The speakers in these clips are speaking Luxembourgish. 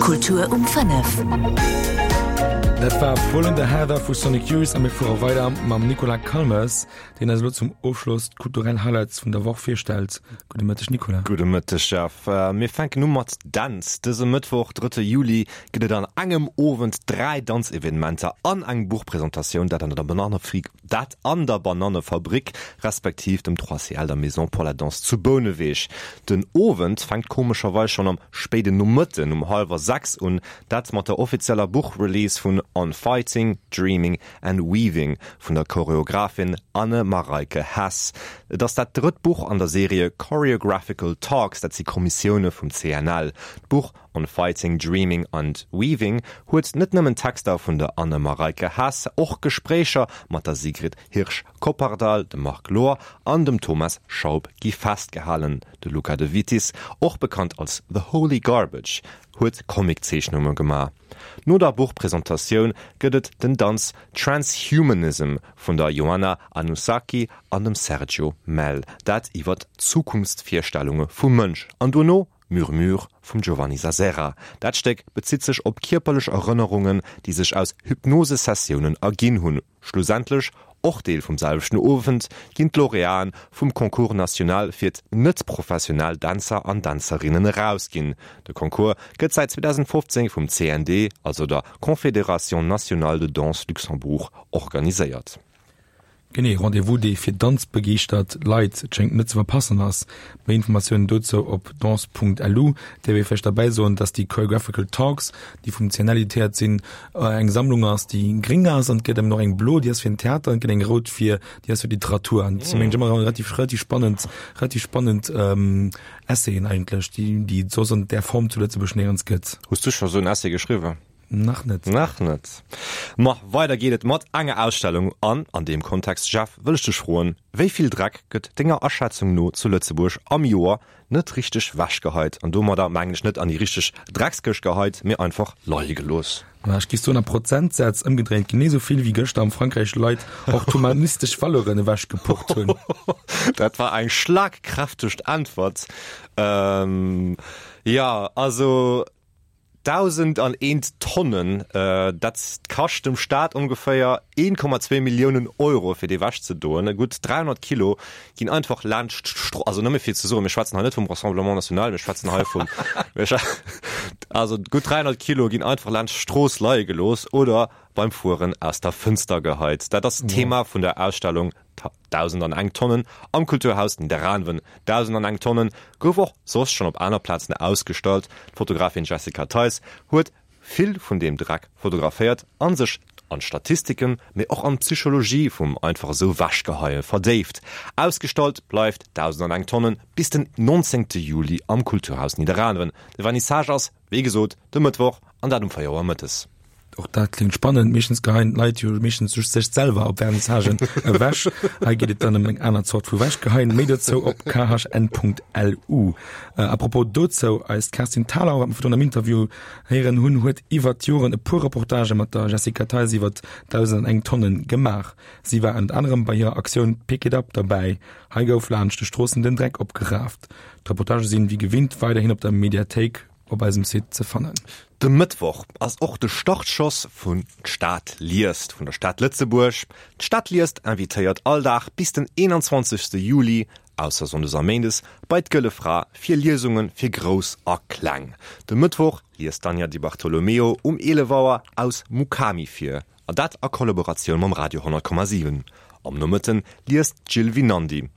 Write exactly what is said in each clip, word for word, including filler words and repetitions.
Kultur um fënnef. Dat war Pull in the Heather vu Sonic Youth a mir fuere weider mam Nicolas Calmes, deen eis elo zum Ofschloss d'kulturell Highlights vun der Woch virstellt. Gudde Mëtteg Nicolas. Gudde Mëtteg Jeff. Mir fänken u mat Danz. Dëse Mëttwoch, drëtte Juli, gëtt et an engem Owend dräi Danzevenementer an eng Buchpresentatioun, dat an der Bananefabrik, dat an der Banannefabrik respektiv dem Trois C L, der Maison pour la Danse zu Bouneweg. Den Owend fänkt komescherweis schonn am spéiden Nomëtten um hallwer sechs un, dat mat der offizieller Buchrelease vun On Fighting, Dreaming and Weaving vun der Choreographin Anne Mareike Hess. Et ass dat drëtt Buch an der Serie Choreographical Talks, dat si Kommissioune vum C N L. D'Buch On Fighting, Dreaming and Weaving huet net nëmmen Texter vun der Anne Mareike Hess, och Gespréicher mat der Sigrid Hirsch-Koppardal, dem Marc Lohr an dem Thomas Schaub gi festgehalen. De Luca de Vitis, och bekannt als The Holy Garbage, huet Comiczeechnunge gemaach. No der Buchpresentatioun gëtt et den Danz Transhumanism vun der Joanna Anusaki an dem Sergio Mell, dat iwwer Zukunftsvirstellunge vum Mënsch. An duerno Murmure vum Giovanni Sassera. Dat Stéck bezitt sech op kierperlech Erënnerungen, déi sech aus Hypnosesessiounen erginn hunn. Schlussendlech, och Deel vum selwechten Owend, ginn d'Laureaten vum Concours national fir net-professionell Dänzer an Dänzerinnen erausginn. De Concours gëtt säit zweedausendfofzéng vum C N D, also der Confédération nationale de danse Luxembourg, organiséiert. Genee, Rendez-vous, dee fir danzbegeeschtert Leit schéngt net ze verpassen ass. Méi Informatiounen dozou op danse Punkt L U. Däerf ee vläicht derbäi soen, dass déi Choreographical Talks, déi vum C N L editéiert sinn, eng Sammlung ass, déi gréng ass an et gëtt eben och eng blo, déi ass fir den Theater an et gëtt eng rout fir déi ass fir d'Literatur. An dat si mengen ech ëmmer relativ relativ spannend relativ spannend Essayen eigentlech, déi déi et soss an där Form zu Lëtzebuerg néierens gëtt. Hues du scho sou en Essay geschriwwen? Nach net. Nach net. Ma weider geet et mat enger Ausstellung an an deem Kontext, Jeff, wëll ech dech froen, wéi vill Dreck gëtt denger Aschätzung no zu Lëtzebuerg am Joer net richteg wechgeheit? An domadder mengen ech net an déi richteg Dreckskëscht geheit, mee einfach leie gelooss. Ma ech géif soen a Prozentsätz ëmgedréint genee sou vill wéi gëschter am Frankräich Leit och d'humanistesch Valeuren ewechgepucht hunn. Dat war eng schlagkräfteg Äntwert. Ähm, ja, also dausendant Tonnen, dat kascht dem Staat ongeféier een Komma zwee Milliounen Euro fir déi ewech ze doen. Gutt dräihonnert Kilo ginn einfach laanscht d'Stro, also nëmme fir ze soen, mir schwätzen hei net vum Rassemblement National, mir schwätzen hei vum, also gutt dräihonnert Kilo ginn einfach laanscht d'Strooss leie gelooss oder beim Fueren aus der Fënster geheit. Dat ass d'Thema vun der Ausstellung Dausendant eng Tonnen am Kulturhaus Nidderaanwen. Dausendant eng Tonnen gouf och soss schonn op aner Plazen ausgestallt. D'Fotografin Jessica Theis huet vill vun deem Dreck fotograféiert a sech an d'Statistiken, mee och an d'Psychologie vum einfach esou Ewechgeheie verdéift. Ausgestallt bleift Dausendant eng Tonnen bis den nonzéngte Juli am Kulturhaus Nidderaanwen. De Vernissage ass, wéi gesot, de Mëttwoch an dat um véier Auer mëttes. Och dat klingt spannend. Meeschtens geheien d'Leit jo meeschtens just sech selwer op Vernissagen ewech. Hei geet et dann ëm eng aner Zort vu Wechgeheien. Méi dozou op K H N Punkt L U. À propos dozou, eist Kerstin Thalau, wat mer virdrun am Interview héieren hunn, huet iwwert d'Joren e puer Reportagë mat der Jessica Theis iwwert dausendant eng Tonnen gemaach. Si war ënnert anerem bei hirer Aktioun Pick it up derbäi. Hei gouf laanscht de Stroossen den Dreck opgeraaft. D'Reportagë sinn wéi gewinnt weiderhin op der Mediathéik op eisem Site ze fannen. De Mëttwoch ass och de Startschoss vun D'Stad liest vun der Stad Lëtzebuerg. D'Stad liest invitéiert all Dag bis den eenanzwanzegste Juli, ausser sonndes a méindes, bei d'Gëlle Fra fir Liesunge fir Grouss a Kleng. De Mëttwoch liest d'Anja Di Bartolomeo um eelef Auer aus Mukami vir, an dat a Kollaboratioun mam Radio honnert Komma siwen. Am Nomëtten liest d'Jill Winandy.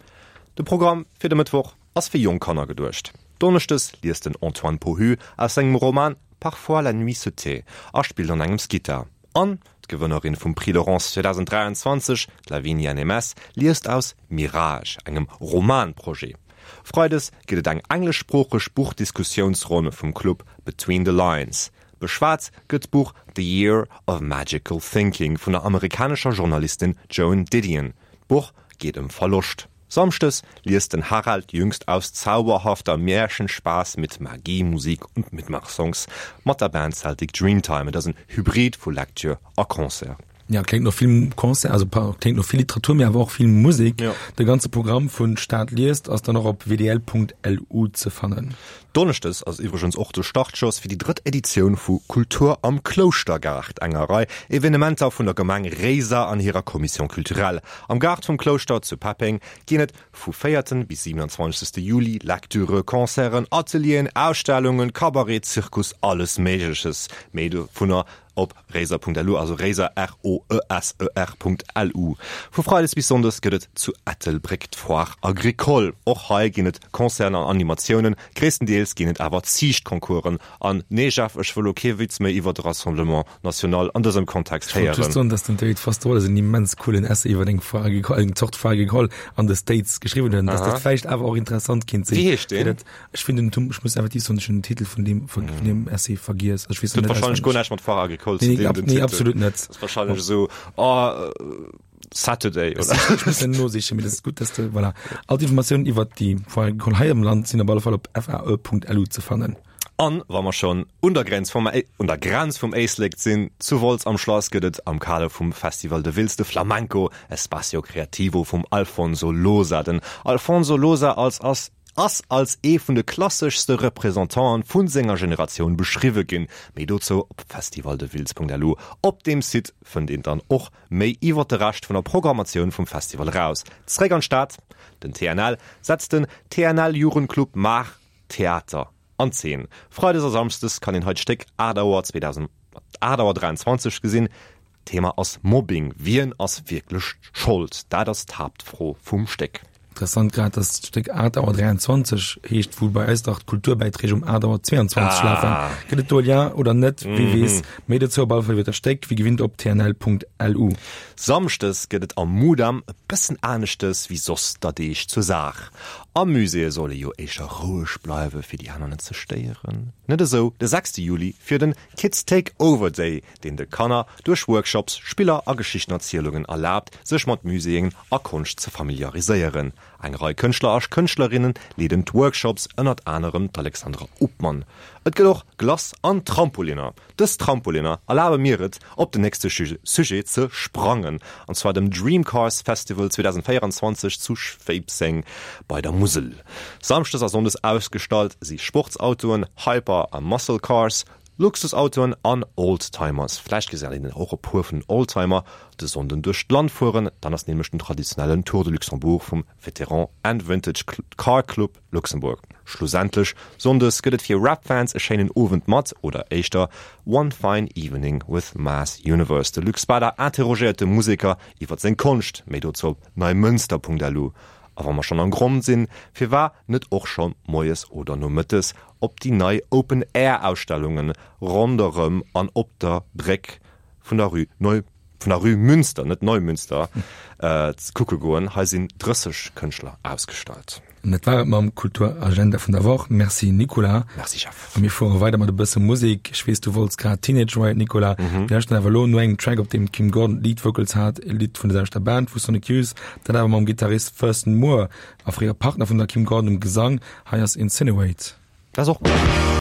De Programm fir de Mëttwoch ass fir jonk Kanner geduecht. Donneschdes liest den Antoine Pohu aus sengem Roman Parfois la nuit se tait a spillt an engems Gittar. An d'Gewënnerin vum Prix Laurence zweedausend dräianzwanzeg, d'Lavinia Nemes, liest aus Mirage, engem Romanprojet. Freides gëtt et eng engleschsproocheg Buchdiskussiounsronn vum Club Between the Lines. Beschwat gëtt d'Buch The Year of Magical Thinking vun der amerikanescher Journalistin Joan Didion. D'Buch geet ëm Verloscht. Samschdes liest den Harald Jüngst aus Zauberhafter Märchenspaß mit Magie, Musik und Mitmachsongs mat der Band Celtic Dreamtime. Et ass en Hybrid vu Lecture a Concert. Ja, kléngt no vill Concert, also kléngt no vill Literatur, mee awer och vill Musek. Ja. De ganze Programm vun Stad liest ass dann och op wdl.lu ze fannen. Donneschdes ass iwwregens och de Startschoss fir déi drëtt Editioun vu Kultur am Klouschtergaart, enger Rei Evenementer vun der Gemeng Réiser an hirer Commission culturelle. Am Gaart vum Klouschter zu Peppeng ginn et vu véierten bis siewenundzwanzegste Juli Lecturen, Concerten, Atelieren, Ausstellungen, Cabaret, Zirkus, alles Méigleches. Méi dovunner op réiser.lu, also Réiser, R-O-E-S-E-R Punkt L-U. Vu Freides bis Sonndes gëtt et zu Ettelbréck d'Foire Agricole. Och hei ginn et Concerten an Animatiounen, gréisstendeels ginn et awer Ziichtconcoursen. An nee Jeff, ech wëll lo kee Witz méi iwwer de Rassemblement National an dësem Kontext Ech wollt just héieren. soen, dass den David Foster Wallace en immens coolen Essay iwwer eng Foire Agricole, eng Zort Foire Agricole an de States geschriwwen huet, dass dat vläicht awer och interessant kinnt sinn. Wéi heescht deen? Fir dat, ech finn den, ech muss effektiv soen, ech hunn den Titel vun deem, vun deem Essay vergiess. Also ech weess Dat net huet wahrscheinlech auswenneg. guer näischt mat Foire Agricole ze Nee, dinn, ab, den nee, Titel. absolut net. Das ist wahrscheinlech esou, oh, Saturday, oder? Ech muss en nosichen, mee dat ass gutt, dass de, voilà. All d'Informatiounen iwwert déi Foire Agricole hei am Land sinn op alle Fall op fae.lu ze fannen. An wa mer schonn un der Grenz vum, un der Grenz vum Éislek sinn, zu Wolz am Schlass gëtt et am Kader vum Festival de Wiltz de Flamenco Espacio Creativo vum Alfonso Losa. Den Alfonso Losa als ass ass als ee vun de klasseschste Representanten vun senger Generatioun beschriwwe ginn. Méi dozou op festivaldewiltz.lu. Op deem Site fënnt een dann och méi iwwer de Rescht vun der Programmatioun vum Festival eraus. Zréck an d'Stad, Den T N L setzt den T N L Jugendclub Maach Theater an Zeen. Freides a Samschdes kann een hei d'Stéck aacht Auer zweedausend, aacht Auer dräianzwanzeg gesinn. Thema ass Mobbing. Wien ass wierklech Schold? Dat ass d'Haaptfro vum Stéck. Interessant grad, dass d'Stéck aacht Auer dräianzwanzeg heescht, wou bei eis dach d'Kulturbäiträg um aacht Auer zweiundzwanzeg Ah. lafen. Gëtt et do e Lien oder net? Wie Mhm. weess. Méi dozou op alle Fall iwwer dat Stéck, wéi gewinnt op T N L Punkt L U. Samschdes gëtt et am Mudam e bëssen aneschtes wéi soss der Deeg zur Saach. Am Musée soll ee jo éischter roueg bleiwe fir déi aner net ze stéieren. Net esou de sechste Juli fir den Kids Take Over Day, deen de Kanner duerch Workshops, Spiller a Geschichtenerzielungen erlaabt, sech mat Muséeën a Konscht ze familiariséieren. Eng Rei Kënschtler a Kënschtlerinnen leeden d'Workshops, ënnert anerem d'Alexandra Upmann. Et gëtt och Glace an Trampoliner. Dës Trampoliner erlabe mir et, op den nächste Sujet ze sprangen, an zwar dem Dream Cars Festival zweedausendvéieranzwanzeg zu Schwéibseng bei der Musel. Samschdes a Sonndes ausgestallt si Sportsautoen, Hyper a Muscle Cars, Luxusautoen an Oldtimers. Vläicht gesäit een och e puer vun den Oldtimer de Sonnden duerch d'Land fueren, dann ass nämlech den traditionellen Tour de Luxembourg vum Veteran and Vintage Car Club Luxembourg. Schlussendlech Sonndes gëtt et fir Rap-Fans e schéinen Owend mat, oder éischter One Fine Evening with Mass Universe. De Luc Spada interrogéiert de Museker iwwer seng Konscht, méi dozou op neimünster.lu. A wa mer schonn am Gronn sinn, firwat net och scho moies oder nomëttes op déi nei Open-Air-Ausstellungen ronderëm an op der Bréck vun der Rue Neu, vun der Rue Münster, net Neumünster, äh, kucke goen. Hei sinn drësseg Kënschtler ausgestallt. An dat war et mam Kulturagenda vun der Woch. Merci Nicolas. Merci Jeff. A mir fuere weider mat e bësse Musek. Ech weess, du wollts grad Teenage Riot, Nicolas. Mhm. Mir lauschteren awer elo no engem Track, op deem d'Kim Gordon Lead Vocals hat, e Lidd vun der selwechter Band, vu Sonic Youth, dat awer mam Gittarist Thurston Moore a fréier Partner vun der Kim Gordon um Gesang. Hei ass Incinerate. Dat ass och gutt.